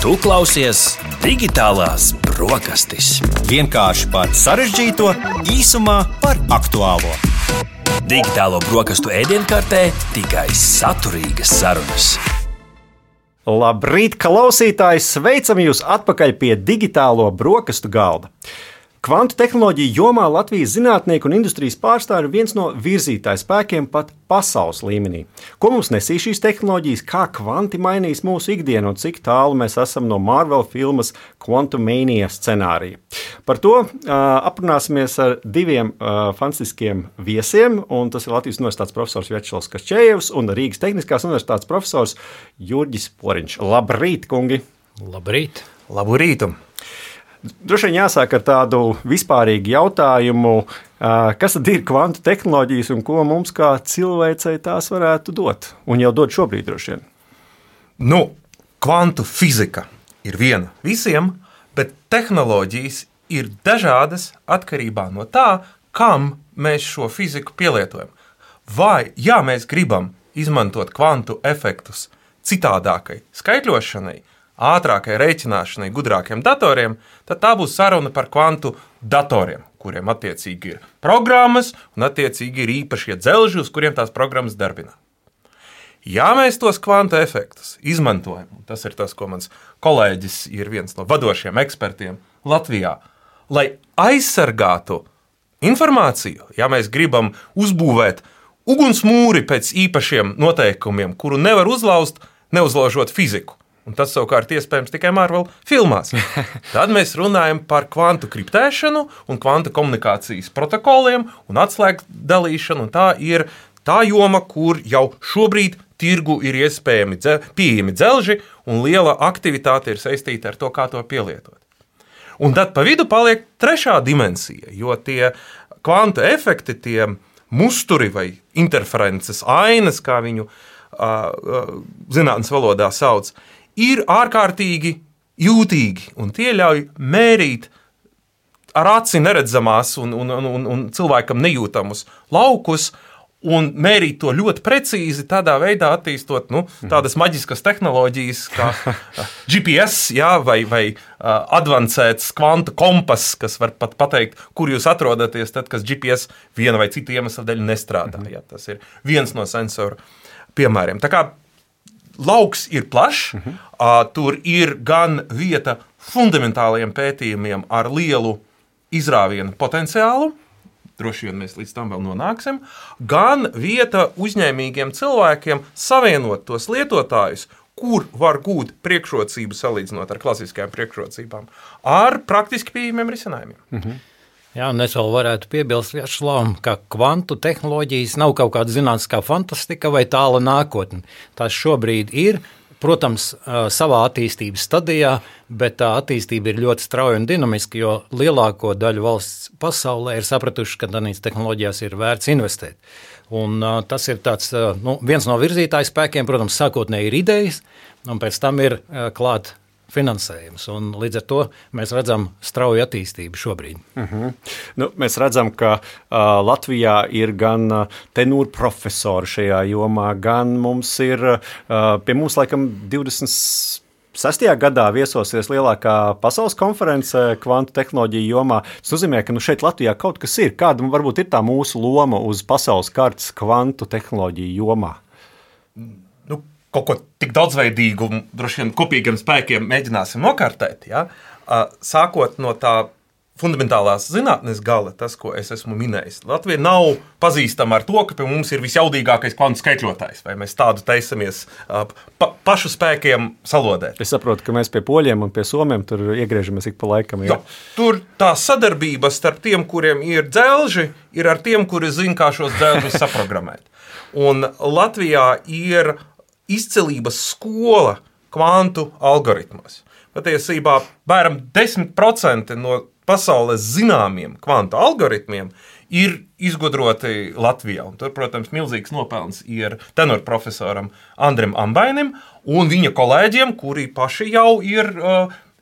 Tu klausies Digitālās brokastis. Vienkārši par sarežģīto, īsumā par aktuālo. Digitālo brokastu ēdienkartē tikai saturīgas sarunas. Labrīt, klausītāji! Sveicam jūs atpakaļ pie digitālo brokastu galda. Kvantu tehnoloģiju jomā Latvijas zinātnieku un industrijas pārstāvji ir viens no virzītāju spēkiem pat pasaules līmenī. Ko mums nesīs šīs tehnoloģijas, kā kvanti mainīs mūsu ikdienu un cik tālu mēs esam no Marvel filmas Quantumania scenārija. Par to aprunāsimies ar diviem fantastiskiem viesiem, un tas ir Latvijas Universitātes profesors Vjačeslavs Kaščējevs un Rīgas Tehniskās Universitātes profesors Jurģis Poriņš. Labrīt, kungi! Labrīt! Labu rītu! Droši vien jāsāk ar tādu vispārīgu jautājumu, kas tad ir kvantu tehnoloģijas un ko mums kā cilvēcei tās varētu dot? Un jau dod šobrīd droši vien. Kvantu fizika ir viena visiem, bet tehnoloģijas ir dažādas atkarībā no tā, kam mēs šo fiziku pielietojam. Vai, ja mēs gribam izmantot kvantu efektus citādākai skaitļošanai, ātrākai rēķināšanai, gudrākiem datoriem, tad tā būs saruna par kvantu datoriem, kuriem attiecīgi ir programmas un attiecīgi ir īpašie dzelži, uz kuriem tās programmas darbina. Ja mēs tos kvantu efektus izmantojam, un tas ir tas, ko mans kolēģis ir viens no vadošiem ekspertiem Latvijā, lai aizsargātu informāciju, ja mēs gribam uzbūvēt ugunsmūri pēc īpašiem noteikumiem, kuru nevar uzlauzt, neuzlaužot fiziku, un tas savukārt iespējams tikai Marvel filmās. Tad mēs runājam par kvantu kriptēšanu un kvantu komunikācijas protokoliem un atslēgu dalīšanu, un tā ir tā joma, kur jau šobrīd tirgu ir iespējami pieejami dzelži, un liela aktivitāte ir saistīta ar to, kā to pielietot. Un tad pa vidu paliek trešā dimensija, jo tie kvantu efekti, tie musturi vai interferences ainas, kā viņu zinātnes valodā sauc, ir ārkārtīgi jūtīgi, un tie ļauj mērīt ar aci neredzamās un cilvēkam nejūtamus laukus, un mērīt to ļoti precīzi, tādā veidā attīstot tādas maģiskas tehnoloģijas kā GPS, vai advancēts kvantu kompass, kas var pat pateikt, kur jūs atrodaties, tad, kas GPS viena vai cita iemesla dēļ nestrādā. Ja, tas ir viens no sensoru piemēriem. Tā kā lauks ir plašs, tur ir gan vieta fundamentāliem pētījumiem ar lielu izrāvienu potenciālu, droši vien mēs līdz tam vēl nonāksim, gan vieta uzņēmīgiem cilvēkiem savienot tos lietotājus, kur var gūt priekšrocību salīdzinot ar klasiskajām priekšrocībām, ar praktiski pieejamiem risinājumiem. Jā, un es vēl varētu piebilst Vjačeslavam, ka kvantu tehnoloģijas nav kaut kāda zinātniskā fantastika vai tāla nākotne. Tās šobrīd ir, protams, savā attīstības stadijā, bet tā attīstība ir ļoti strauja un dinamiska, jo lielāko daļu valsts pasaulē ir sapratuši, ka tādās tehnoloģijās ir vērts investēt. Un tas ir tāds, viens no virzītāju spēkiem, protams, sākotnēji ir idejas, un pēc tam ir klāt finansējums, un līdz ar to mēs redzam strauju attīstību šobrīd. Mēs redzam, ka Latvijā ir gan tenūru profesori šajā jomā, gan mums ir, pie mums laikam 26. gadā viesosies lielākā pasaules konference kvantu tehnoloģiju jomā. Tas nozīmē, ka šeit Latvijā kaut kas ir. Kāda varbūt ir tā mūsu loma uz pasaules kartes kvantu tehnoloģiju jomā? Kaut ko tik daudzveidīgu, droši vien kopīgiem spēkiem mēģināsim nokārtēt. Ja? Sākot no tā fundamentālās zinātnes gala, tas, ko es esmu minējis. Latvija nav pazīstama ar to, ka pie mums ir visjaudīgākais kvantu skaitļotājs, vai mēs tādu taisamies pašu spēkiem salodēt. Es saprotu, ka mēs pie poļiem un pie somiem tur iegriežamies ik pa laikam. Ja? Tur tā sadarbība starp tiem, kuriem ir dzelži, ir ar tiem, kuri zina, kā šos dzelžus saprogrammēt. Un Latvijā ir izcelības skola kvantu algoritmos. Patiesībā bēram 10% no pasaules zināmiem kvantu algoritmiem ir izgudroti Latvijā. Un tur, protams, milzīgs nopelns ir tenor profesoram Andrim Ambainim un viņa kolēģiem, kuri paši jau ir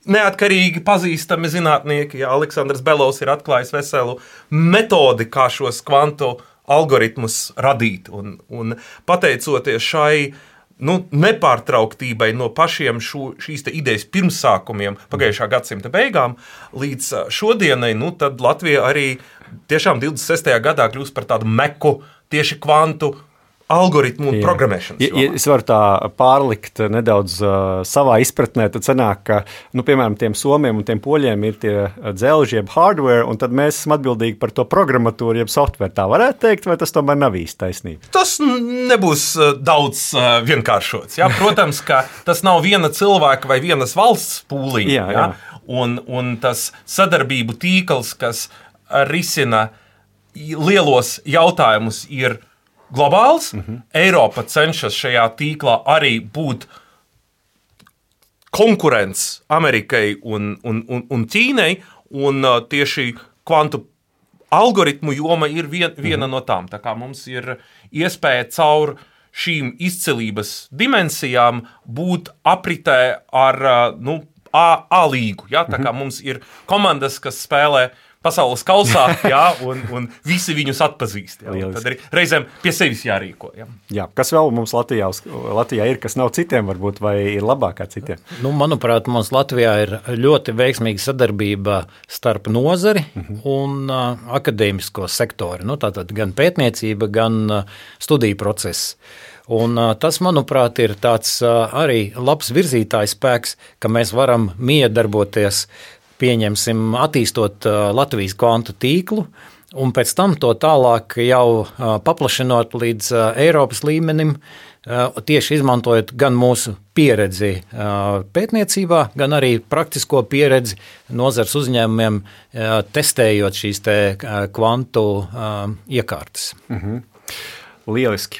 neatkarīgi pazīstami zinātnieki. Ja, Aleksandrs Belovs ir atklājis veselu metodi, kā šos kvantu algoritmus radīt. Un pateicoties šai nepārtrauktībai no pašiem šīs idejas pirmsākumiem pagājušā gadsimta beigām līdz šodienai, tad Latvija arī tiešām 26. gadā kļūst par tādu meku tieši kvantu algoritmu un programmēšanas. Ja es varu tā pārlikt nedaudz savā izpratnē, tad sanāk, ka, piemēram, tiem somiem un tiem poļiem ir tie dzelži, jeb hardware, un tad mēs esam atbildīgi par to programmatūru, jeb software. Tā varētu teikt, vai tas tomēr nav īsti taisnība? Tas nebūs daudz vienkāršots. Ja? Protams, ka tas nav viena cilvēka vai vienas valsts pūliņa. Ja? Un tas sadarbību tīkls, kas risina lielos jautājumus, ir globāls. Eiropa cenšas šajā tīklā arī būt konkurents Amerikai un Ķīnai, un tieši kvantu algoritmu joma ir viena no tām. Tā kā mums ir iespēja caur šīm izcilības dimensijām būt apritē ar A līgu. Ja? Tā kā mums ir komandas, kas spēlē pasaules kausā, un visi viņus atpazīst. Tad arī reizēm pie sevis jārīko. Jā, kas vēl mums Latvijā ir, kas nav citiem varbūt, vai ir labāk kā citiem? Manuprāt, mums Latvijā ir ļoti veiksmīga sadarbība starp nozari un akadēmisko sektoru. Tātad gan pētniecība, gan studiju process. Un tas, manuprāt, ir tāds arī labs virzītājs spēks, ka mēs varam miedarboties, pieņemsim, attīstot Latvijas kvantu tīklu, un pēc tam to tālāk jau paplašinot līdz Eiropas līmenim, tieši izmantojot gan mūsu pieredzi pētniecībā, gan arī praktisko pieredzi nozars uzņēmumiem, testējot šīs te kvantu iekārtas. Lieliski.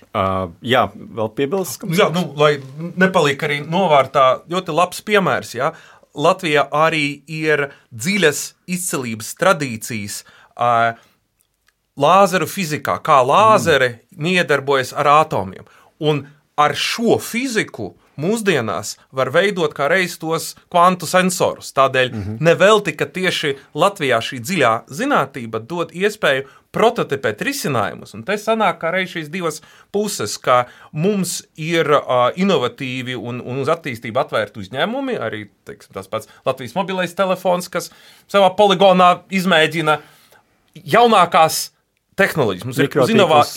Jā, vēl piebilst? Jā, lai nepaliek arī novārtā ļoti labs piemērs, jā. Latvijā arī ir dziļas izcilības tradīcijas lāzeru fizikā, kā lāzeri miedarbojas ar atomiem. Un ar šo fiziku mūsdienās var veidot kā reiz tos kvantu sensorus. Tādēļ nevelti, ka tieši Latvijā šī dziļā zinātība dod iespēju prototipēt risinājumus. Un te sanāk kā reiz šīs divas puses, ka mums ir inovatīvi un uz attīstību atvērti uzņēmumi, arī tas pats Latvijas mobilais telefons, kas savā poligonā izmēģina jaunākās tehnoloģijas. Mums ir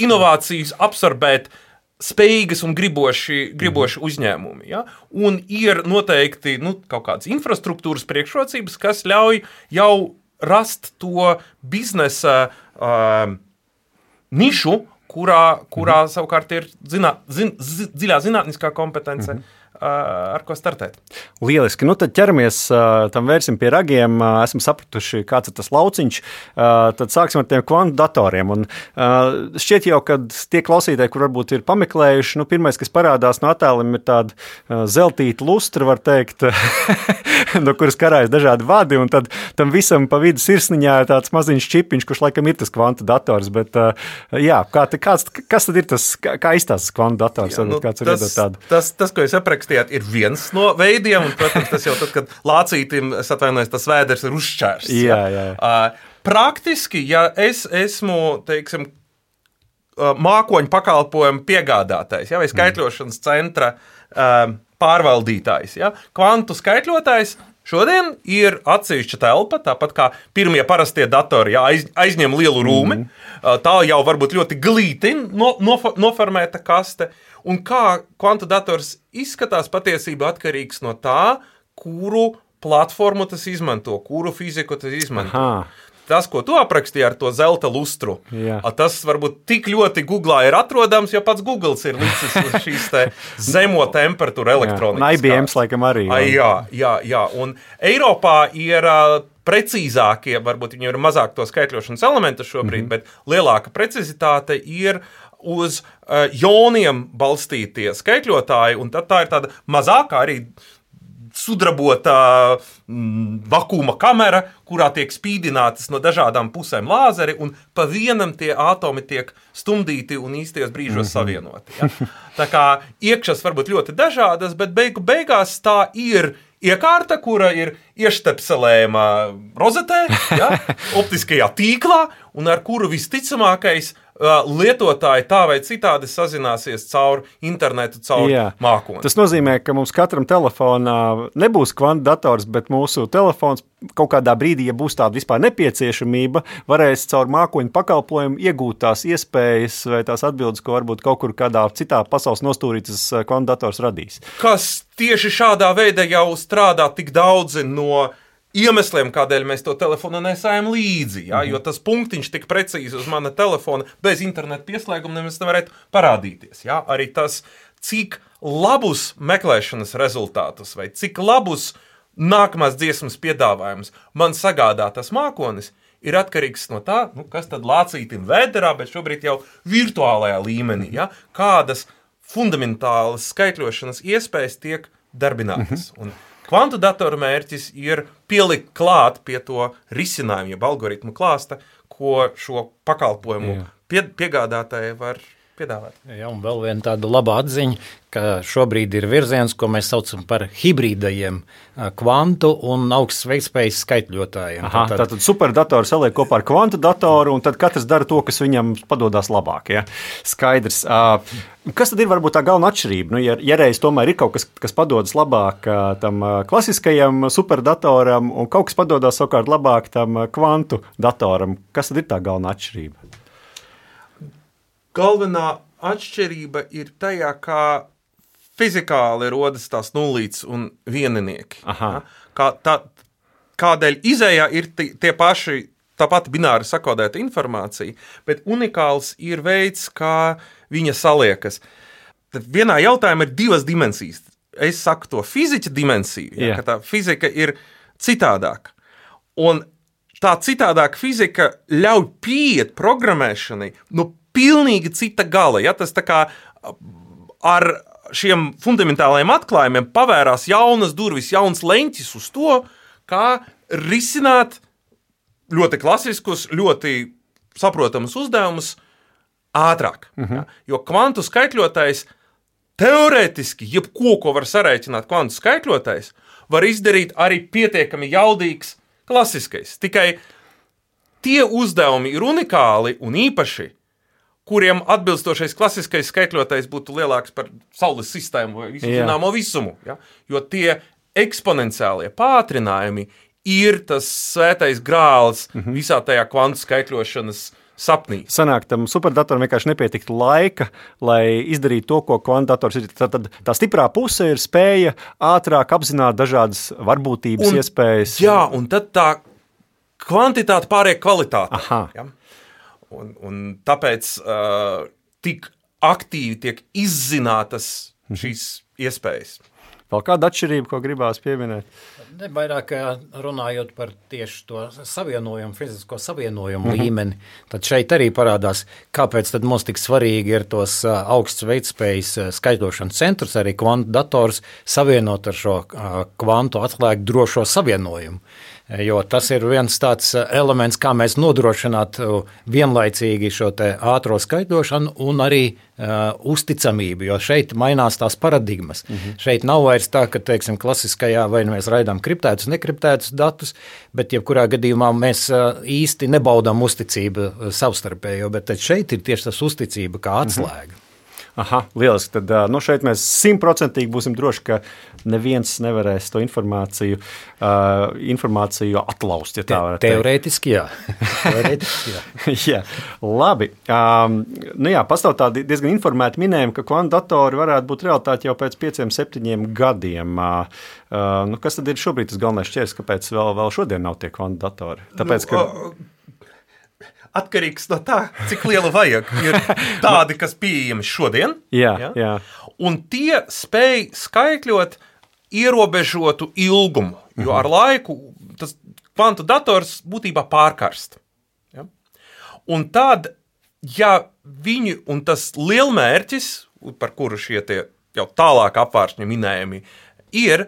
inovācijas absorbēt spējīgas un griboši uzņēmumi. Ja? Un ir noteikti kaut kādas infrastruktūras priekšrocības, kas ļauj jau rast to biznesa nišu, kurā savukārt ir dziļā zinātniskā kompetence, ar ko startēt. Lieliski. Tad ķeramies, tam vērsim pie ragiem, esam sapratuši, kāds ir tas lauciņš, tad sāksim ar tiem kvantu datoriem. Un šķiet jau, kad tie klausītāji, kur varbūt ir pameklējuši, pirmais, kas parādās no attēliem, ir tāda zeltīta lustra, var teikt, no kuras karājas dažādi vadi, un tad tam visam pa vidu sirsniņā ir tāds maziņš čipiņš, kurš laikam ir tas kvantu dators, bet jā, kas tad ir tas, kā izstāstas kvantu dators? Jā, tas, ko es aprakstu, ir viens no veidiem, un, protams, tas jau tad, kad lācītim, es atvainojos, tas vēders ir uzšķērs. Jā. Praktiski, ja es esmu, teiksim, mākoņu pakalpojumu piegādātājs, vai skaitļošanas centra pārvaldītājs, kvantu skaitļotājs šodien ir atsevišķa telpa, tāpat kā pirmie parastie datori aizņem lielu rūmi, tā jau varbūt ļoti glīti noformēta kaste. Un kā kvantu dators izskatās, patiesībā atkarīgs no tā, kuru platformu tas izmanto, kuru fiziku tas izmanto. Tas, ko tu aprakstīji ar to zelta lustru, tas varbūt tik ļoti Googlā ir atrodams, jo pats Googles ir licis uz šīs zemo temperatūru elektronikas. IBMs laikam arī. Jā. Un Eiropā ir precīzākie, varbūt viņi ir mazāk to skaitļošanas elementu šobrīd, bet lielāka precizitāte ir uz joniem balstītie skaitļotāji, un tad tā ir tāda mazākā arī sudrabota vakuma kamera, kurā tiek spīdinātas no dažādām pusēm lāzeri, un pa vienam tie atomi tiek stumdīti un īstajos brīžos savienoti. Ja? Tā kā iekšas varbūt ļoti dažādas, bet beigās tā ir iekārta, kura ir ieštepselējama rozetē, optiskajā tīklā, un ar kuru visticamākais lietotāji tā vai citādi sazināsies caur internetu, caur mākoni. Tas nozīmē, ka mums katram telefonā nebūs kvantu-dators, bet mūsu telefons kaut kādā brīdī, ja būs tāda vispār nepieciešamība, varēs caur mākoņu pakalpojumu iegūt tās iespējas vai tās atbildes, ko varbūt kaut kur kādā citā pasaules nostūrī tas kvantu-dators radīs. Kas tieši šādā veidā jau strādā tik daudzi no iemesliem, kādēļ mēs to telefonu nesājam līdzi, jo tas punktiņš tik precīzi uz mana telefona bez interneta pieslēguma nemaz nevarētu parādīties. Arī tas, cik labus meklēšanas rezultātus vai cik labus nākamās dziesmas piedāvājums man sagādā tas mākonis, ir atkarīgs no tā, kas tad lācītim vēderā, bet šobrīd jau virtuālajā līmenī, kādas fundamentālas skaitļošanas iespējas tiek darbinātas. Un kvantu datoru mērķis ir pielikt klāt pie to risinājumu, jeb algoritmu klāsta, ko šo pakalpojumu piegādātāji var piedāvāt. Jā, un vēl viena tāda laba atziņa, ka šobrīd ir virziens, ko mēs saucam par hibrīdajiem kvantu un augsts veiktspējas skaitļotājiem. Tātad superdatoru saliek kopā ar kvantu datoru, un tad katrs dara to, kas viņam padodas labāk. Ja? Skaidrs. Kas tad ir varbūt tā galvenā atšķirība? Ja reiz tomēr ir kaut kas, kas padodas labāk tam klasiskajam superdatoram, un kaut kas padodas savukārt labāk tam kvantu datoram, kas tad ir tā galvenā atšķirība? Galvenā atšķirība ir tajā, kā fizikāli rodas tās nulītes un vieninieki. Kādēļ izējā ir tie paši, tā pati bināri sakodēta informācija, bet unikāls ir veids, kā viņa saliekas. Tad vienā jautājumā ir divas dimensijas. Es saku to fiziķa dimensiju, ka tā fizika ir citādāka. Un tā citādāka fizika ļauj pieiet programmēšanai pilnīgi cita gala. Tas tā kā ar šiem fundamentālajiem atklājumiem pavērās jaunas durvis, jauns leņķis uz to, kā risināt ļoti klasiskus, ļoti saprotamus uzdevumus ātrāk. Jo kvantu skaitļotājs teorētiski, jebko, ko var sarēķināt kvantu skaitļotājs, var izdarīt arī pietiekami jaudīgs klasiskais. Tikai tie uzdevumi ir unikāli un īpaši, kuriem atbilstošais klasiskais skaitļotājs būtu lielāks par Saules sistēmu vai visu zināmo visumu. Jo tie eksponenciālie pātrinājumi ir tas svētais grāls visā tajā kvantu skaitļošanas sapnī. Sanāk, tam superdatoram vienkārši nepietiktu laika, lai izdarītu to, ko kvantators ir. Tad tā stiprā puse ir spēja ātrāk apzināt dažādas varbūtības iespējas. Jā, un tad tā kvantitāte pāriek kvalitāte. Un tāpēc tik aktīvi tiek izzinātas šīs iespējas. Vēl kāda atšķirība, ko gribās pieminēt? Vairāk runājot par tieši to savienojumu, fizisko savienojumu līmeni, tad šeit arī parādās, kāpēc tad mums tik svarīgi ir tos augsts veiktspējas skaitļošanas centrus, arī kvantu dators savienot ar šo kvantu atslēgu drošo savienojumu. Jo tas ir viens tāds elements, kā mēs nodrošinātu vienlaicīgi šo te ātro skaitļošanu un arī uzticamību, jo šeit mainās tās paradigmas. Šeit nav vairs tā, ka, teiksim, klasiskajā vai mēs raidām kriptētus, nekriptētus datus, bet jebkurā gadījumā mēs īsti nebaudām uzticību savstarpējo, bet šeit ir tieši tas uzticība kā atslēga. Lieliski. Tad šeit mēs 100% būsim droši, ka neviens nevarēs to informāciju atlaust, ja tā varētu Teorētiski, jā. Jā. Labi. Pastāv tādi diezgan informēti minējumi, ka kvantu datori varētu būt realitāte jau pēc 5-7 gadiem. Kas tad ir šobrīd tas galvenais šķērs, kāpēc vēl šodien nav tie kvantu datori? Tāpēc, ka... Atkarīgs no tā, cik liela vajag. Ir tādi, kas pieejami šodien. Jā. Un tie spēj skaitļot ierobežotu ilgumu, jo ar laiku tas kvantu dators būtībā pārkarst. Un tad, ja viņi, un tas lielmērķis, par kuru šie tie jau tālāk apvāršņi minējumi, ir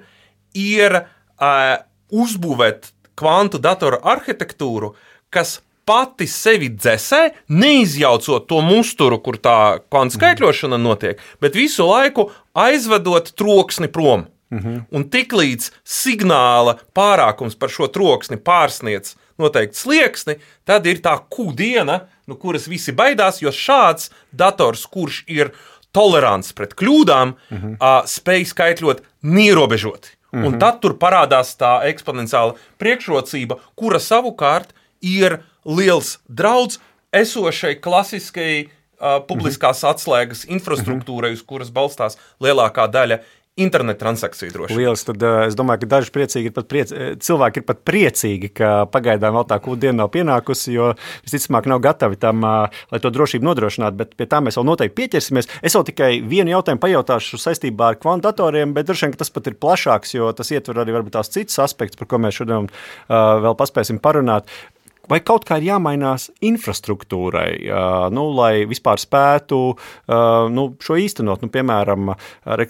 uzbūvēt kvantu datoru arhitektūru, kas pati sevi dzesē, neizjaucot to musturu, kur tā kvantu skaitļošana notiek, bet visu laiku aizvedot troksni prom. Un tiklīdz signāla pārākums par šo troksni pārsniedz noteikti slieksni, tad ir tā Q-diena, no kuras visi baidās, jo šāds dators, kurš ir tolerants pret kļūdām, spēj skaitļot neierobežoti. Un tad tur parādās tā eksponenciāla priekšrocība, kura savukārt ir liels draudz esošai klasiskai publiskās atslēgas infrastruktūrai, uz kuras balstās lielākā daļa internetu transakciju droši. Lielas, tad es domāju, ka daži cilvēki ir pat priecīgi, ka pagaidām vēl tā Q-diena nav pienākusi, jo visticamāk nav gatavi tam, lai to drošību nodrošinātu, bet pie tā mēs vēl noteikti pieķersimies. Es vēl tikai vienu jautājumu pajautāšu saistībā ar kvantu datoriem, bet droši vien, ka tas pat ir plašāks, jo tas ietver arī varbūt tās citas aspektus, par ko mēs šodien vēl paspēsim parunāt. Vai kaut kā ir jāmainās infrastruktūrai, lai vispār spētu šo īstenot? Piemēram,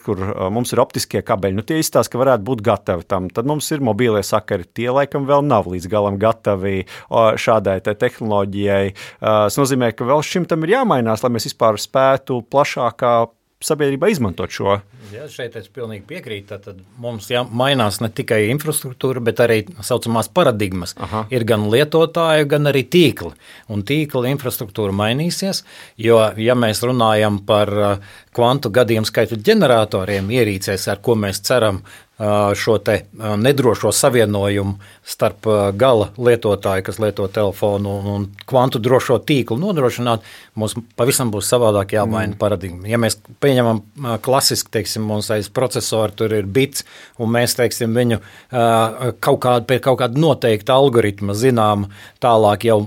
kur mums ir optiskie kabeļi, tie izstāsta, ka varētu būt gatavi tam. Tad mums ir mobīlie sakari, tie laikam vēl nav līdz galam gatavi šādai tehnoloģijai. Tas nozīmē, ka vēl šim tam ir jāmainās, lai mēs vispār spētu plašākā sabiedrībā izmantot šo. Jā, šeit es pilnīgi piekrītu. Tad mums mainās ne tikai infrastruktūra, bet arī saucamās paradigmas. Aha. Ir gan lietotāji, gan arī tīkli. Un tīkla infrastruktūra mainīsies, jo, ja mēs runājam par kvantu gadījumu skaitu ģeneratoriem ierīcēs, ar ko mēs ceram šo te nedrošo savienojumu starp gala lietotāju, kas lieto telefonu, un kvantu drošo tīklu nodrošināt, mums pavisam būs savādāk jāmaina paradigma. Ja mēs pieņemam klasiski, teiksim, mums aiz procesoru tur ir bits, un mēs, teiksim, viņu pēc kaut kāda noteikta algoritma zinām, tālāk jau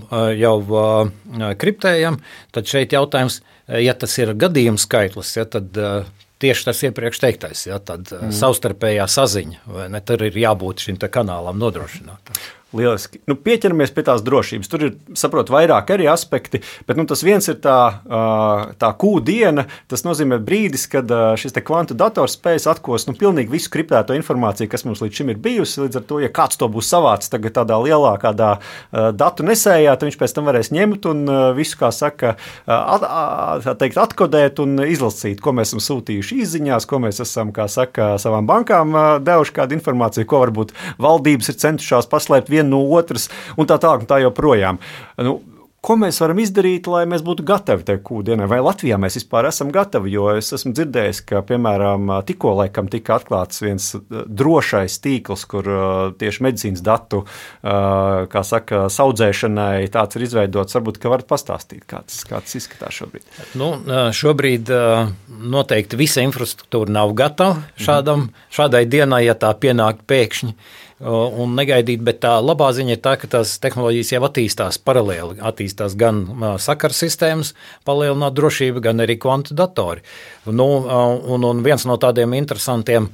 kriptējam, tad šeit jautājums, ja tas ir gadījums skaitlis, tad tieši tas iepriekš teiktais, tad savstarpējā saziņa, vai ne, tur ir jābūt šim te kanālam nodrošināt. Lieliski. Pieķeramies pie tās drošības. Tur ir, saprotu, vairāk arī aspekti, bet tas viens ir tā Q-diena. Tas nozīmē brīdis, kad šis te kvantu dators spējas atkost pilnīgi visu kriptēto informāciju, kas mums līdz šim ir bijusi. Līdz ar to, ja kāds to būs savācis tagad tādā lielākā datu nesējā, tad viņš pēc tam varēs ņemt un visu, kā saka, atkodēt un izlasīt, ko mēs esam sūtījuši izziņās, ko mēs esam, kā saka, savām bankām devuši kādu informāciju, ko varbūt valdības ir centušās paslēpt no otras, un tā joprojām. Ko mēs varam izdarīt, lai mēs būtu gatavi tai Q-dienai? Vai Latvijā mēs vispār esam gatavi? Jo es esmu dzirdējis, ka, piemēram, tikko laikam tika atklāts viens drošais tīkls, kur tieši medicīnas datu, kā saka, saudzēšanai tāds ir izveidots. Varbūt, ka varat pastāstīt, kā tas izskatās šobrīd. Šobrīd noteikti visa infrastruktūra nav gatava šādai dienai, ja tā pienāk pēkšņi. Un negaidīt, bet tā labā ziņa ir tā, ka tās tehnoloģijas jau attīstās paralēli. Attīstās gan sakaru sistēmas, palielināt drošību, gan arī kvantu datori. Un viens no tādiem interesantiem,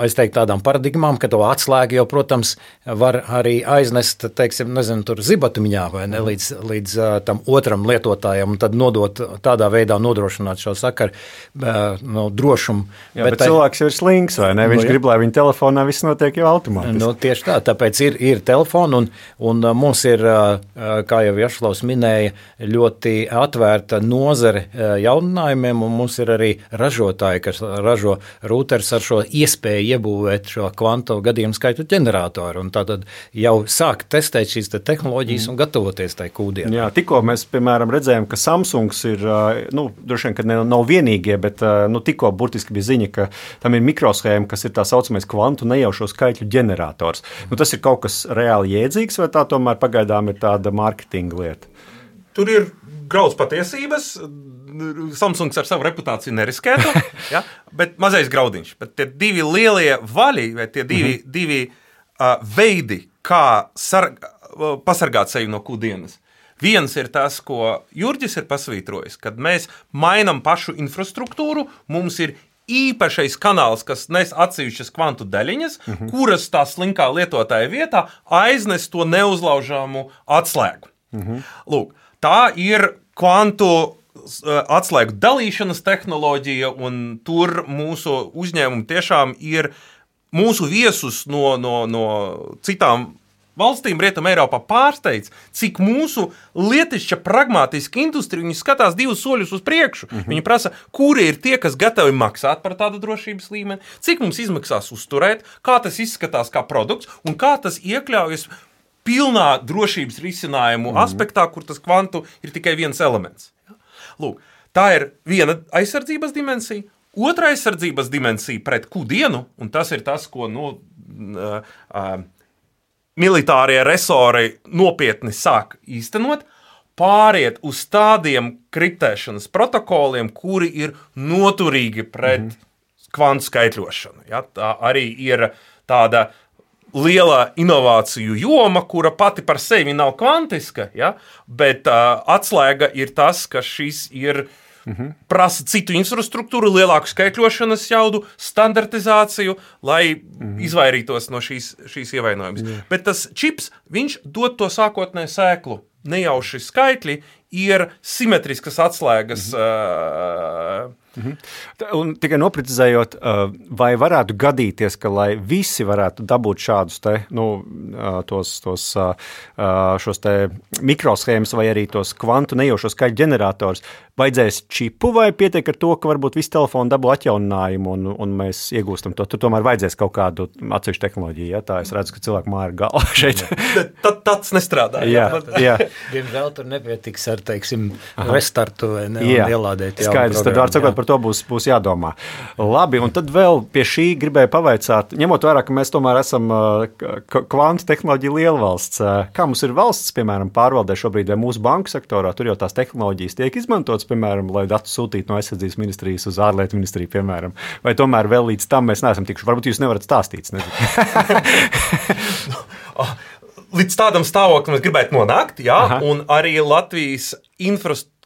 es teiktu tādām paradigmām, ka to atslēgu jau, protams, var arī aiznest, teiksim, tur zibatumiņā vai ne, līdz tam otram lietotājam un tad nodot tādā veidā nodrošināt šo sakaru drošumu. Jā, bet cilvēks jau ir slings, vai ne? Viņš grib, lai viņa telefonā viss notiek jau automātiski. Tieši tā, tāpēc ir telefoni un mums ir, kā jau Jašlavs minēja, ļoti atvērta nozare jauninājumiem, un mums ir arī ražotāji, kas ražo rūters ar šo iespēju iebūvēt šo kvantu gadījumu skaitu ģeneratoru, un tātad jau sāk testēt šīs tehnoloģijas un gatavoties tai Q-dienai. Jā, tikko mēs, piemēram, redzējām, ka Samsungs ir, droši vien, ka nav vienīgie, bet tikko burtiski bija ziņa, ka tam ir mikroshēma, kas ir tā saucamais kvantu nejaušo skaitļu ģenerators. Tas ir kaut kas reāli jēdzīgs, vai tā tomēr pagaidām ir tāda mārketinga lieta? Tur ir graudz patiesības. Samsungs ar savu reputāciju neriskētu, ja? Bet mazais graudiņš. Bet tie divi lielie vaļi, vai tie divi veidi, kā pasargāt sevi no Q-dienas. Viens ir tas, ko Jurģis ir pasvītrojis, kad mēs mainam pašu infrastruktūru, mums ir īpašais kanāls, kas nes atsevišķas kvantu daļiņas, kuras tā slinkā lietotāja vietā aiznes to neuzlaužāmu atslēgu. Lūk, tā ir kvantu atslēgu dalīšanas tehnoloģija, un tur mūsu uzņēmumi tiešām ir mūsu viesus no citām valstīm Rietumē Eiropā pārsteidz, cik mūsu lietišķa pragmātiska industrija, viņi skatās 2 soļus uz priekšu. Viņi prasa, kuri ir tie, kas gatavi maksāt par tādu drošības līmeni, cik mums izmaksās uzturēt, kā tas izskatās kā produkts un kā tas iekļaujas pilnā drošības risinājumu aspektā, kur tas kvantu ir tikai viens elements. Lūk, tā ir viena aizsardzības dimensija. Otra aizsardzības dimensija pret kudienu, un tas ir tas, ko militārie resori nopietni sāk īstenot, pāriet uz tādiem kriptēšanas protokoliem, kuri ir noturīgi pret kvantu skaitļošanu. Ja? Tā arī ir tāda liela inovāciju joma, kura pati par sevi nav kvantiska, ja? Bet atslēga ir tas, ka šis ir prasa citu infrastruktūru, lielāku skaitļošanas jaudu, standartizāciju, lai izvairītos no šīs ievainojumus. Bet tas čips, viņš dod to sākotnēju sēklu. Nejauši skaitļi ir simetriskas atslēgas. Un tikai noprecizējot, vai varētu gadīties, ka lai visi varētu dabūt šādus te, šos te mikroshēmas vai arī tos kvantu nejaušo skaļu ģenerators, vajadzēs čipu vai pietiek ar to, ka varbūt visi telefoni dabū atjauninājumu un mēs iegūstam to? Tur tomēr vajadzēs kaut kādu atsevišķu tehnoloģiju, ja? Tā es redzu, ka cilvēku māja ir galva šeit. Tāds nestrādā. Jā. Diemžēl tur nepietiks ar, teiksim, restartu vai ne, un ielādēt jaunu skaidrs, tad var sakot, par to būs jādomā. Labi, un tad vēl pie šī gribēju pavaicāt, ņemot vērā, ka mēs tomēr esam kvantu tehnoloģiju lielvalsts. Kā mums ir valsts, piemēram, pārvaldē šobrīd vai mūsu banku sektorā, tur jau tās tehnoloģijas tiek izmantotas, piemēram, lai datus sūtītu no aizsardzības ministrijas uz ārlietu ministriju, piemēram. Vai tomēr vēl līdz tam mēs neesam tikuši? Varbūt jūs nevarat stāstīt, Līdz tādam stāvoklim mēs gribētu nonākt, jā, un arī Latvijas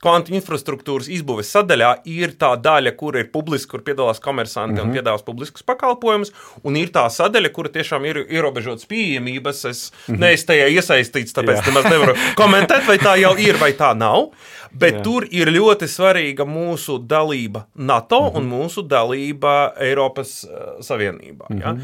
kvantu infrastruktūras izbūves sadaļā ir tā daļa, kur ir publiski, kur piedalās komersanti un piedāvās publiskus pakalpojumus, un ir tā sadaļa, kura tiešām ir ierobežotas pieejamības. Es neesmu tajā iesaistīts, tāpēc nemaz nevaru komentēt, vai tā jau ir, vai tā nav. Bet tur ir ļoti svarīga mūsu dalība NATO un mūsu dalība Eiropas Savienībā. Ja?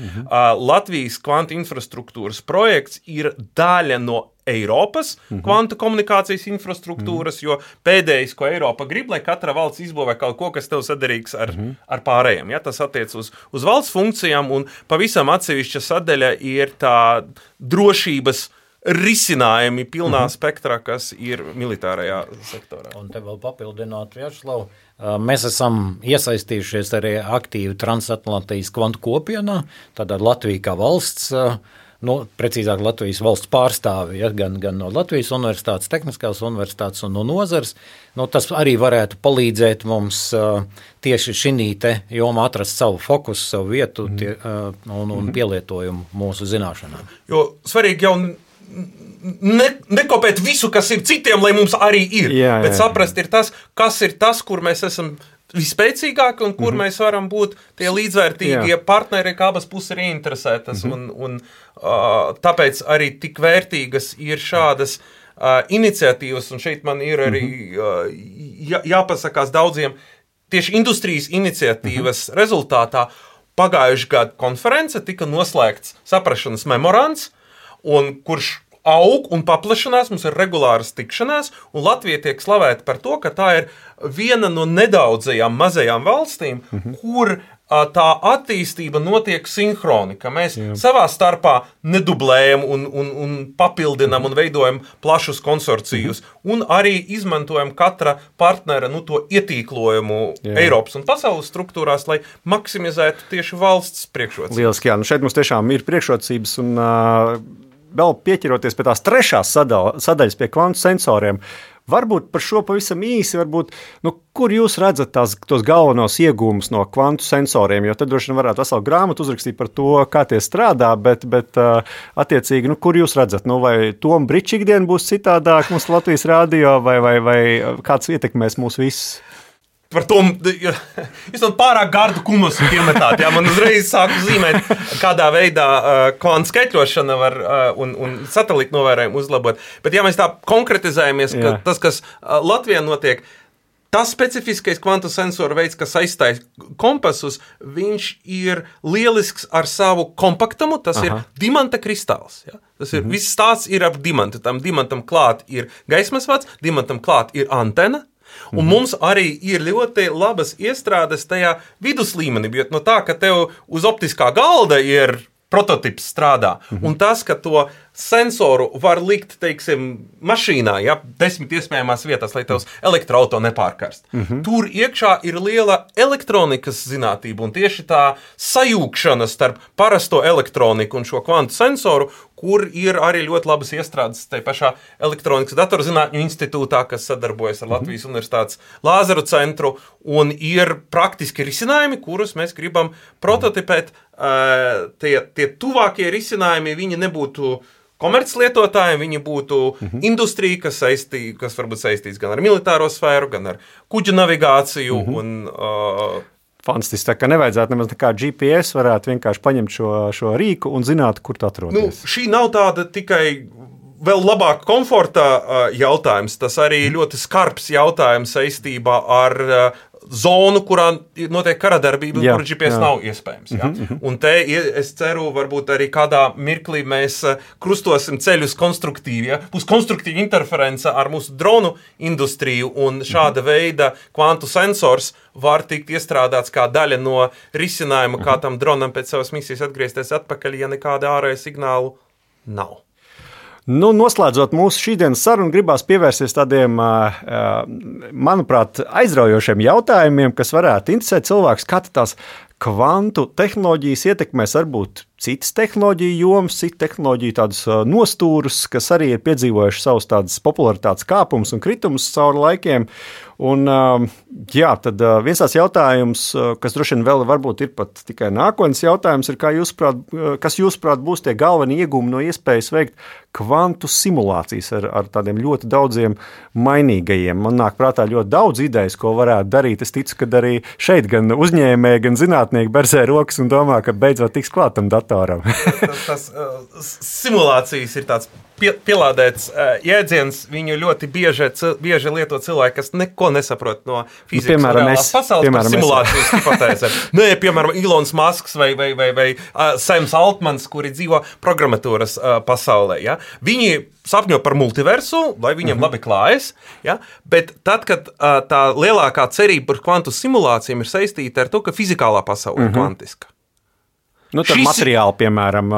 Latvijas kvantu infrastruktūras projekts ir daļa no Eiropas kvantu komunikācijas infrastruktūras, jo pēdējais, ko Eiropa grib, lai katra valsts izbūvē kaut ko, kas tev saderīgs ar pārējiem. Ja? Tas attiec uz valsts funkcijām, un pavisam atsevišķa sadaļa ir tā drošības risinājumi pilnā spektrā, kas ir militārajā sektorā. Un te vēl papildināt, Vjačeslav, mēs esam iesaistījušies arī aktīvi Transatlantijas kvantu kopienā, tātad Latvija kā valsts, precīzāk Latvijas valsts pārstāvi, ja, gan no Latvijas universitātes, tehniskās universitātes un no nozars. Tas arī varētu palīdzēt mums tieši šī te jomā atrast savu fokusu, savu vietu un pielietojumu mūsu zināšanām. Jo svarīgi jau nekopēt visu, kas ir citiem, lai mums arī ir, bet saprast ir tas, kas ir tas, kur mēs esam vispēcīgāki un kur mēs varam būt tie līdzvērtīgie partneri, kā abas puses ir ieinteresētas. Un tāpēc arī tik vērtīgas ir šādas iniciatīvas, un šeit man ir arī jāpasakās daudziem tieši industrijas iniciatīvas rezultātā. Pagājuši gadu konference tika noslēgts saprašanas memorands, un kurš aug un paplašanās, mums ir regulāras tikšanās, un Latvija tiek slavēta par to, ka tā ir viena no nedaudzajām mazajām valstīm, kur tā attīstība notiek sinhroni, ka mēs savā starpā nedublējam un papildinam un veidojam plašus konsorcijus, un arī izmantojam katra partnera to ietīklojumu Eiropas un pasaules struktūrās, lai maksimizētu tieši valsts priekšrocības. Lieliski, jā. Šeit mums tiešām ir priekšrocības, un vēl pieķeroties pie tās trešās sadaļas pie kvantu sensoriem, varbūt par šo pavisam īsi, kur jūs redzat tos galvenos iegūmus no kvantu sensoriem, jo tad droši vien varētu veselu grāmatu uzrakstīt par to, kā tie strādā, bet attiecīgi, kur jūs redzat, vai Toma Briča ikdiena būs citādāk mums Latvijas radio, vai kāds ietekmēs mūs visus? Par to jūs man pārāk gardu kumusu iemetāt. Jā, man uzreiz sāku zīmēt, kādā veidā kvantu skaitļošana var un satelītu novērojumu uzlabot. Bet ja mēs tā konkretizējamies, ka tas, kas Latvijā notiek, tas specifiskais kvantu sensoru veids, kas aizstāja kompasus, viņš ir lielisks ar savu kompaktumu, tas ir dimanta kristāls. Ja? Tas ir, viss stāsts ir ap dimantu. Tam dimantam klāt ir gaismas vads, dimantam klāt ir antena. Un mums arī ir ļoti labas iestrādes tajā viduslīmenī, jo no tā, ka tev uz optiskā galda ir prototips strādā, un tas, ka to sensoru var likt, teiksim, mašīnā, ja, 10 iespējamās vietās, lai tavs elektroauto nepārkarst. Tur iekšā ir liela elektronikas zinātība un tieši tā sajūgšana starp parasto elektroniku un šo kvantu sensoru, kur ir arī ļoti labas iestrādes tajā pašā elektronikas datorzinātņu institūtā, kas sadarbojas ar Latvijas Universitātes Lāzaru centru, un ir praktiski risinājumi, kurus mēs gribam prototipēt. Tie tuvākie risinājumi, viņi nebūtu komerclietotājiem, viņi būtu industrija, kas varbūt saistīts gan ar militāro sfēru, gan ar kuģu navigāciju un fantastiski, tā kā nevajadzētu nemaz kā GPS, varētu vienkārši paņemt šo rīku un zināt, kur tu atrodies. Šī nav tāda tikai vēl labāk komforta jautājums, tas arī ļoti skarbs jautājums saistībā ar zonu, kurā notiek karadarbība, kur GPS nav iespējams. Ja? Un te es ceru, varbūt arī kādā mirklī mēs krustosim ceļus konstruktīvi. Ja? Būs konstruktīva interference ar mūsu dronu industriju, un šāda veida kvantu sensors var tikt iestrādāts kā daļa no risinājuma, kā tam dronam pēc savas misijas atgriezties atpakaļ, ja nekāda ārēja signālu nav. Nu, noslēdzot mūsu šīdienas sarunu, gribās pievērsties tādiem, manuprāt, aizraujošiem jautājumiem, kas varētu interesēt cilvēkus, kā tās kvantu tehnoloģijas ietekmēs varbūt citas tehnoloģiju jomas, citu tehnoloģiju tādus nostūrus, kas arī ir piedzīvojuši savus tādas popularitātes kāpumus un kritumus cauri laikiem. Un, tad viens tās jautājums, kas droši vien vēl varbūt ir pat tikai nākotnes jautājums, ir, kas jūsuprāt būs tie galvenie iegūmi no iespējas veikt kvantu simulācijas ar tādiem ļoti daudziem mainīgajiem. Man nāk prātā ļoti daudz idejas, ko varētu darīt. Es ticu, ka arī šeit gan uzņēmēji, gan zinātnieki berzē rokas un domā, ka beidzot tiks klāt tam datoram. tas simulācijas ir tāds pielādēts jēdziens, viņu ļoti bieži lieto cilvēki, kas neko nesaprot no fizikas un reālās pasaules par simulācijas hipotēzēm. Nē, piemēram, Ilons Masks vai Sams Altmans, kuri dzīvo programmatūras pasaulē. Ja? Viņi sapņo par multiversu, lai viņiem labi klājas, ja? Bet tad, kad tā lielākā cerība par kvantu simulācijām ir saistīta ar to, ka fizikālā pasaule ir kvantiska. Nu, tad materiāli, piemēram,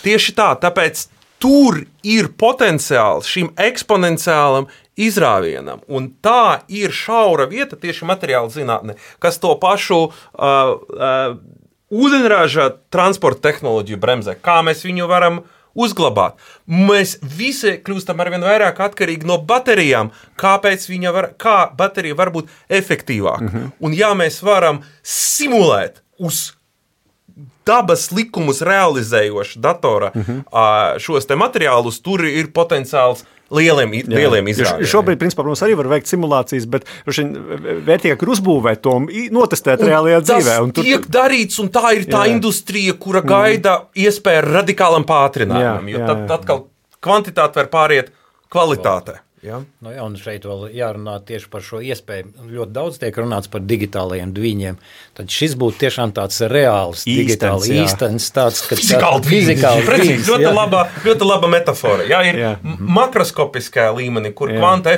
tieši tā, tāpēc tur ir potenciāls šim eksponenciālam izrāvienam, un tā ir šaura vieta tieši materiāla zinātne, kas to pašu ūdeņraža transporta tehnoloģiju bremzē, kā mēs viņu varam uzglabāt. Mēs visi kļūstam arvien vairāk atkarīgi no baterijām, kā baterija var būt efektīvāka. Un ja mēs varam simulēt uz dabas likumus realizējoši datora šos te materiālus, tur ir potenciāls lieliem izrādēm. Šobrīd, principā, protams, arī var veikt simulācijas, bet vērtīgāk ir uzbūvēt to un notestēt reālajā dzīvē. Tas tiek darīts, un tā ir tā industrija, kura gaida iespēju radikālam pātrinājumam, jo tad atkal kvantitāte var pāriet kvalitātē. Ja? Nu jā, un šeit vēl jārunā tieši par šo iespēju. Ļoti daudz tiek runāts par digitālajiem dviņiem. Tad šis būtu tiešām tāds reāls, digitāli īstens, tāds, ka fizikāli dviņs. Ļoti laba metafora. Ja? Ir makroskopiskā līmenī, kur kvanta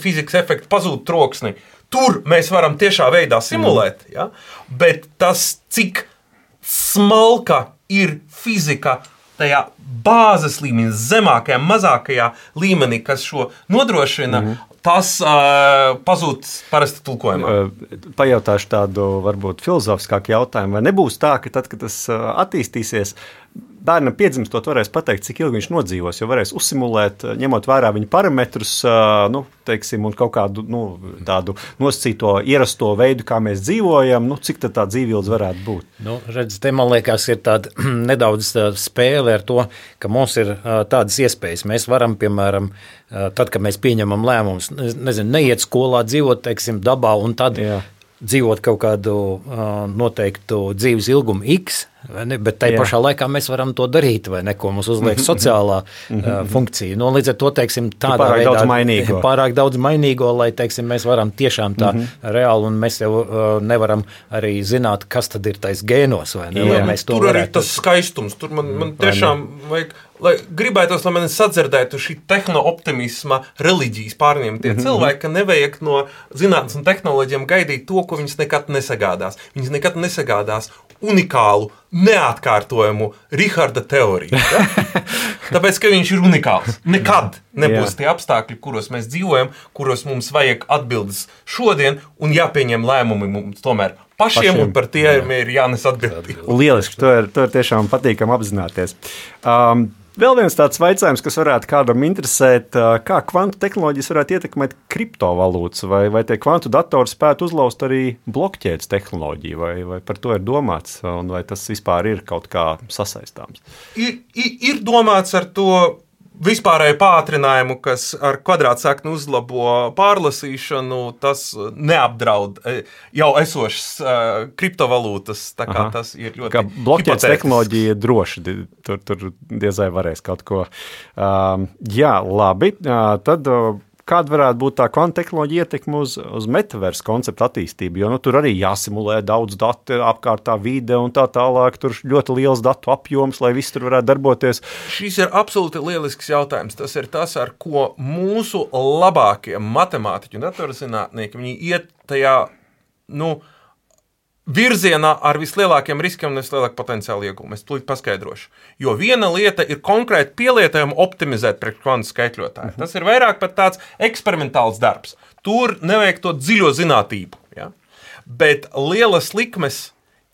fizikas efekts pazūd troksni. Tur mēs varam tiešā veidā simulēt, ja? Bet tas, cik smalka ir fizika tajā bāzes līmenī, zemākajā, mazākajā līmenī, kas šo nodrošina, tas pazūd parasti tulkojumā. Pajautāšu tādu varbūt filozofiskāku jautājumu, vai nebūs tā, ka tad, kad tas attīstīsies, bērnam piedzimstot varēs pateikt, cik ilgi viņš nodzīvos, jo varēs uzsimulēt, ņemot vērā viņa parametrus, teiksim, un kaut kādu tādu nosacīto ierasto veidu, kā mēs dzīvojam, cik tad tā dzīvildze varētu būt. Redz, te man liekas ir tāda nedaudz spēle ar to, ka mums ir tādas iespējas. Mēs varam, piemēram, tad, kad mēs pieņemam lēmumus, neiet skolā, dzīvot, teiksim, dabā un tad dzīvot kaut kādu noteiktu dzīves ilgumu X, bet tai pašā laikā mēs varam to darīt, vai ne, ko mums uzliek sociālā funkcija. Līdz ar to, teiksim, tādā veidā pārāk daudz mainīgo, lai, teiksim, mēs varam tiešām tā reāli, un mēs jau nevaram arī zināt, kas tad ir tais gēnos, vai ne, lai mēs to tur varētu. Tur arī tas skaistums, tur man tiešām vajag, lai gribētos, lai mani sadzirdētu šī tehno-optimisma reliģijas pārņemtie cilvēki, ka nevajag no zinātnes un tehnoloģiem gaidīt to, ko viņas nekad nesagādās. Viņas nekad nesagādās unikālu, neatkārtojamu Riharda teoriju. Ja? Tāpēc, ka viņš ir unikāls. Nekad nebūs tie apstākļi, kuros mēs dzīvojam, kuros mums vajag atbildes šodien un jāpieņem lēmumi mums tomēr pašiem. Un par tiem ir jānes atbildība. Lieliski, to ir tiešām patīkami apzināties. Vēl viens tāds jautājums, kas varētu kādam interesēt, kā kvantu tehnoloģijas varētu ietekmēt kriptovalūtas, vai tie kvantu datori spētu uzlauzt arī blokķēdes tehnoloģiju, vai par to ir domāts, un vai tas vispār ir kaut kā sasaistāms? Ir domāts ar to vispārēju pātrinājumu, kas ar kvadrātsakni uzlabo pārlasīšanu, tas neapdraud jau esošas kriptovalūtas. Tā kā tas ir ļoti kā blokķēdes tehnoloģija droši, tur diezai varēs kaut ko. Jā, labi, tad kāda varētu būt tā kvantu tehnoloģija ietekme uz metaversu konceptu attīstību, jo tur arī jāsimulē daudz datu apkārtā vide un tā tālāk, tur ļoti liels datu apjoms, lai viss tur varētu darboties. Šis ir absolūti lielisks jautājums. Tas ir tas, ar ko mūsu labākie matemātiķi un datorzinātnieki, viņi iet tajā, virzienā ar vislielākiem riskiem un vislielāku potenciālu ieguvumu. Es tūlīt paskaidrošu. Jo viena lieta ir konkrēti pielietojama optimizēt pret kvantu skaitļotāju. Tas ir vairāk pat tāds eksperimentāls darbs. Tur nevajag to dziļo zinātību. Ja? Bet lielas likmes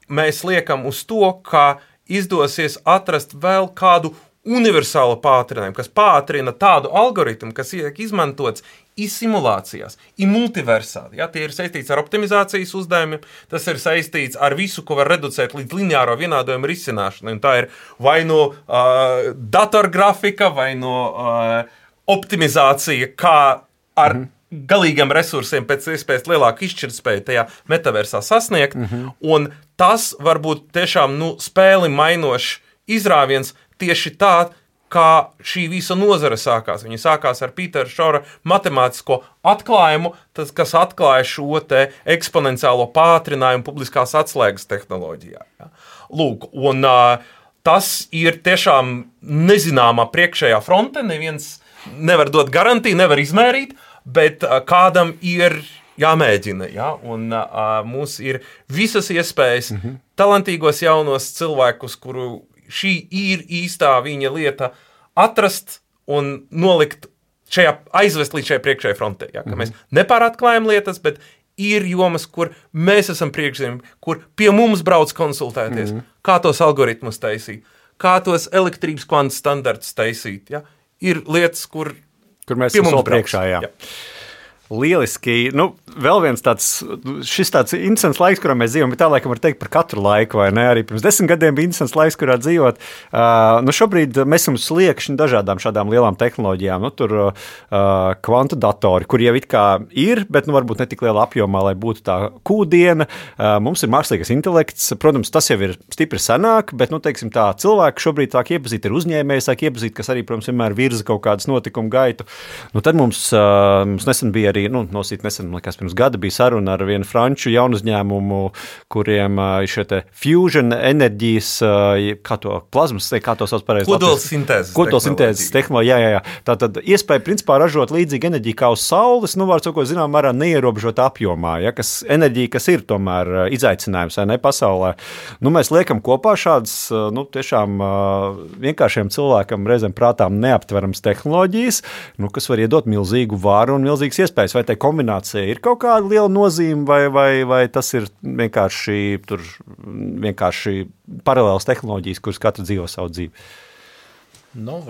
mēs liekam uz to, ka izdosies atrast vēl kādu universālu pātrinājumu, kas pātrina tādu algoritmu, kas tiek izmantots simulācijās, multiversā. Ja, tie ir saistīts ar optimizācijas uzdevumiem, tas ir saistīts ar visu, ko var reducēt līdz lineāro vienādojumu risināšanai. Un tā ir vai no datorgrafika, vai no optimizācija, kā ar galīgiem resursiem pēc iespējas lielāku izšķirtspēju tajā metaversā sasniegt. Un tas var būt tiešām spēli mainošs izrāviens tieši tā, kā šī visa nozare sākās. Viņa sākās ar Pītera Šora matemātisko atklājumu, tas, kas atklāja šo te eksponenciālo pātrinājumu publiskās atslēgas tehnoloģijā. Ja. Lūk, un tas ir tiešām nezināmā priekšējā fronte, neviens nevar dot garantiju, nevar izmērīt, bet kādam ir jāmēģina, ja? Un mums ir visas iespējas talantīgos jaunos cilvēkus, kuru šī ir īstā viņa lieta atrast un nolikt aizvest līdz šai priekšējai frontē. Ja? Ka mēs nepāratklājam lietas, bet ir jomas, kur mēs esam priekšzīmi, kur pie mums brauc konsultēties, kā tos algoritmus taisīt, kā tos elektrības kvantu standartus taisīt. Ja? Ir lietas, kur mēs pie mums esam priekšā, jā. Lieliski. Vēl viens šis tāds interesants laiks, kurā mēs dzīvojam, bet tā laikam var teikt par katru laiku, vai ne? Arī pirms 10 gadiem bija interesants laiks, kurā dzīvot. Šobrīd mēs esam sliekšņi dažādām šādām lielām tehnoloģijām. Tur kvantu datori, kur jau it kā ir, bet varbūt ne tik liela apjomā, lai būtu tā kūdiena. Mums ir mākslīgais intelekts. Protams, tas jau ir stipri senāk, bet, teiksim tā, cilvēki šobrīd sāk iepazīt ar uzņēmēju, sāk iepazīt, kas arī, protams, vienmēr virza kaut kādas notikumu gaitu. Tad mums nesen bija arī nesen, pirms gada bija saruna ar vienu franču jaunu uzņēmumu, kuriem ir šie te fusion enerģijas, kā to plazmas, kā to sauc pareizi? Kodolsintēzes tehnoloģija. Jā. Tātad iespēja principā ražot līdzīgu enerģiju kā uz saules, var sakot, zinām, mērā neierobežot apjomā, ja, enerģija, kas ir tomēr izaicinājums, vai ne, pasaulē. Mēs liekam kopā šādas, tiešām vienkāršiem cilvēkam reizēm prātām neaptverams tehnoloģijas, kas var iedot milzīgu varu un milzīgas iespējas. Vai tā kombinācija ir kaut kāda liela nozīme, vai tas ir vienkārši paralēlas tehnoloģijas, kuras katra dzīvo savu dzīvi?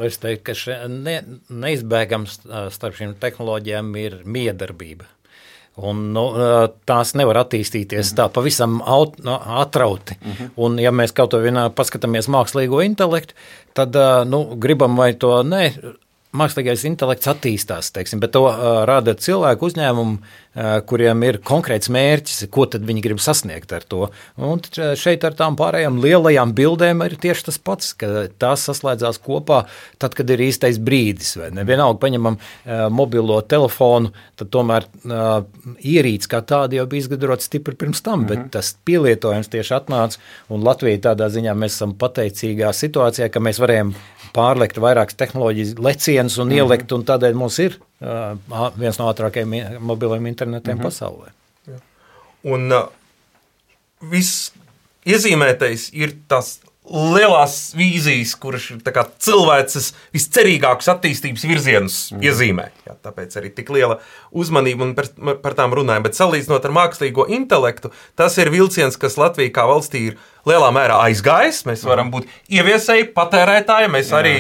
Es teiktu, ka neizbēgams starp šīm tehnoloģijām ir miedarbība. Un, tās nevar attīstīties tā pavisam atrauti. Un, ja mēs kaut ko paskatāmies mākslīgo intelektu, tad gribam vai to ne. Mākslīgais intelekts attīstās, bet to rada cilvēku uzņēmumu, kuriem ir konkrēts mērķis, ko tad viņi grib sasniegt ar to. Un šeit ar tām pārējām lielajām bildēm ir tieši tas pats, ka tās saslēdzās kopā tad, kad ir īstais brīdis. Vienalga paņemam mobilo telefonu, tad tomēr ierīce kā tāda jau bija izgudrota stipri pirms tam, bet tas pielietojums tieši atnāca, un Latvija tādā ziņā mēs esam pateicīgā situācijā, ka mēs varējām pārlekt vairākas tehnoloģijas lecienus un ielikt, un tādēļ mums ir viens no ātrākajiem mobiliem internetiem pasaulē. Un viss iezīmētais ir tas lielās vīzijas, kuras ir cilvēces viscerīgākus attīstības virzienus iezīmē. Jā, tāpēc arī tik liela uzmanība un par tām runājam. Bet salīdzinot ar mākslīgo intelektu, tas ir vilciens, kas Latvija kā valstī ir lielā mērā aizgājis. Mēs varam būt ieviesēji, patērētāji, mēs arī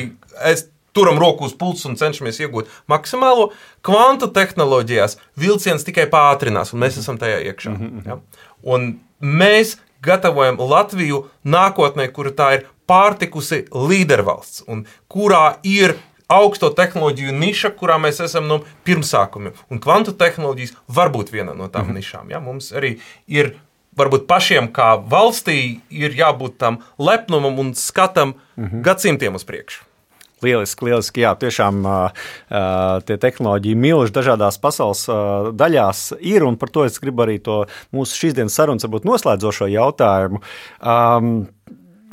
turam roku uz pulsa un cenšamies iegūt maksimālo. Kvantu tehnoloģijās vilciens tikai pātrinās, un mēs esam tajā iekšā. Ja? Un mēs gatavojam Latviju nākotnē, kura tā ir pārtikusi līdervalsts, un kurā ir augsto tehnoloģiju niša, kurā mēs esam no pirmsākumiem. Un kvantu tehnoloģijas var būt viena no tām nišām. Ja? Mums arī ir varbūt pašiem kā valstī ir jābūt tam lepnumam un skatam gadsimtiem uz priekšu. Lieliski, jā, tiešām tie tehnoloģiji milži dažādās pasaules daļās ir, un par to es gribu arī to mūsu šīsdienas sarunas varbūt noslēdzošo jautājumu.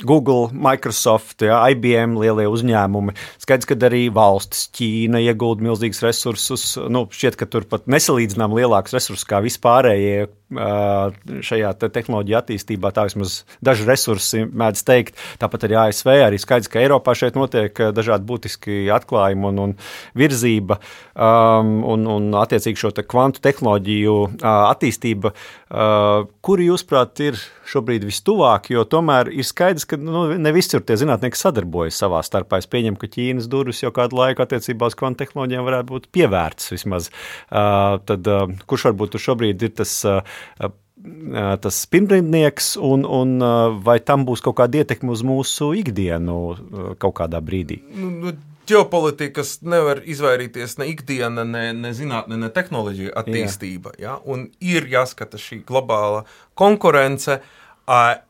Google, Microsoft, IBM, lielie uzņēmumi. Skaidrs, ka arī valstis, Ķīna iegulda milzīgus resursus. Šķiet, ka tur pat nesalīdzinām lielākus resursus kā vispārējie šajā tehnoloģija attīstībā, tā vismaz daži resursi mēdz teikt. Tāpat arī ASV, arī skaidrs, ka Eiropā šeit notiek dažādi būtiski atklājumi un virzība un attiecīgi šo kvantu tehnoloģiju attīstība. Kuri, jūsuprāt, ir šobrīd vistuvāk, jo tomēr ir skaidrs, ka ne visur tie zinātnieki sadarbojas savā starpā. Es pieņemu, ka Ķīnas durvis jau kādu laiku attiecībā uz kvantu tehnoloģijām varētu būt pievērts vismaz. Tad kurš varbūt šobrīd ir tas pirmrindnieks un vai tam būs kaut kāda ietekme uz mūsu ikdienu kaut kādā brīdī? Ģeopolitikas nevar izvairīties ne ikdiena, ne zinātne, ne tehnoloģija attīstība. Ja? Un ir jāskata šī globāla konkurence.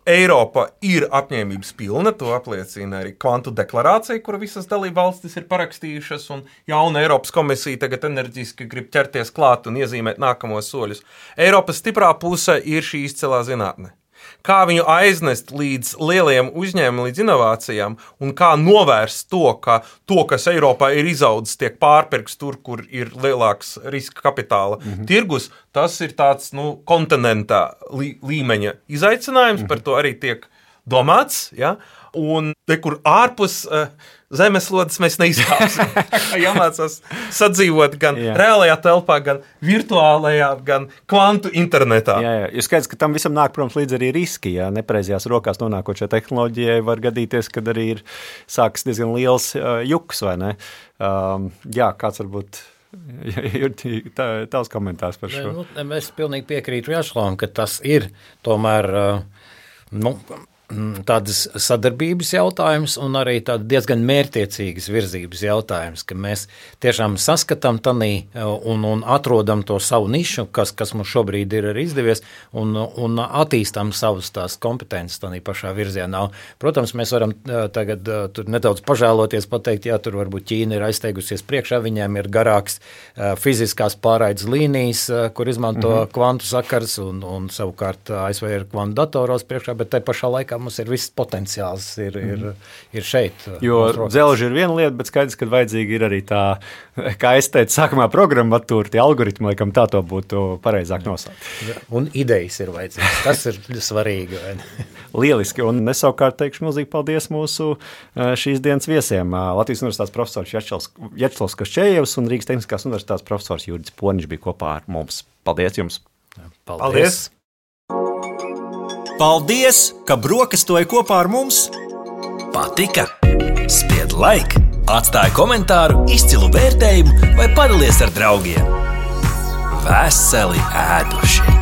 Eiropa ir apņēmības pilna, to apliecina arī kvantu deklarācija, kuru visas dalībvalstis ir parakstījušas, un jauna Eiropas komisija tagad enerģiski grib ķerties klāt un iezīmēt nākamos soļus. Eiropas stiprā puse ir šī izcelā zinātne. Kā viņu aiznest līdz lieliem uzņēmumiem, līdz inovācijām, un kā novērst to, ka to, kas Eiropā ir izaudzis, tiek pārpirkts tur, kur ir lielāks riska kapitāla tirgus, tas ir tāds kontinentā līmeņa izaicinājums, par to arī tiek domāts, ja? Un kur ārpus zemeslodes mēs neizkāpsim. Jāmācās sadzīvot gan reālajā telpā, gan virtuālajā, gan kvantu internetā. Jā. Jo skaidrs, ka tam visam nāk, protams, līdz arī riski. Ja nepreizajās rokās nonākot šai tehnoloģijai var gadīties, kad arī ir sākas diezgan liels juks, vai ne? Kāds varbūt ir tavs komentārs par šo? Es pilnīgi piekrītu Jašlavam, ka tas ir tomēr tādas sadarbības jautājums un arī tāda diezgan mērķtiecīgas virzības jautājums, ka mēs tiešām saskatām tanī un atrodam to savu nišu, kas mums šobrīd ir arī izdevies, un attīstām savas tās kompetences tanī pašā virzienā. Protams, mēs varam tagad tur nedaudz pažēloties, pateikt, tur varbūt Ķīna ir aizteigusies priekšā, viņiem ir garāks fiziskās pārraides līnijas, kur izmanto kvantu sakars, un savukārt ASV ir kvantu datoros priekšā, bet tai pašā laikā mums ir viss potenciāls ir šeit. Jo dzelži ir viena lieta, bet skaidrs, ka vajadzīgi ir arī tā, kā es teicu, sākumā programmatūra, tie algoritmi, laikam tā to būtu pareizāk nosaukt. Un idejas ir vajadzīgas, tas ir svarīgi. Lieliski, un es savukārt teikšu milzīgi paldies mūsu šīs dienas viesiem. Latvijas universitātes profesors Vjačeslavs Kaščējevs un Rīgas Tehniskās universitātes profesors Juridis Poniņš bija kopā ar mums. Paldies jums! Paldies! Paldies, ka brokastoji kopā ar mums! Patika? Spied like, atstāj komentāru, izcilu vērtējumu vai padalies ar draugiem. Veseli ēduši!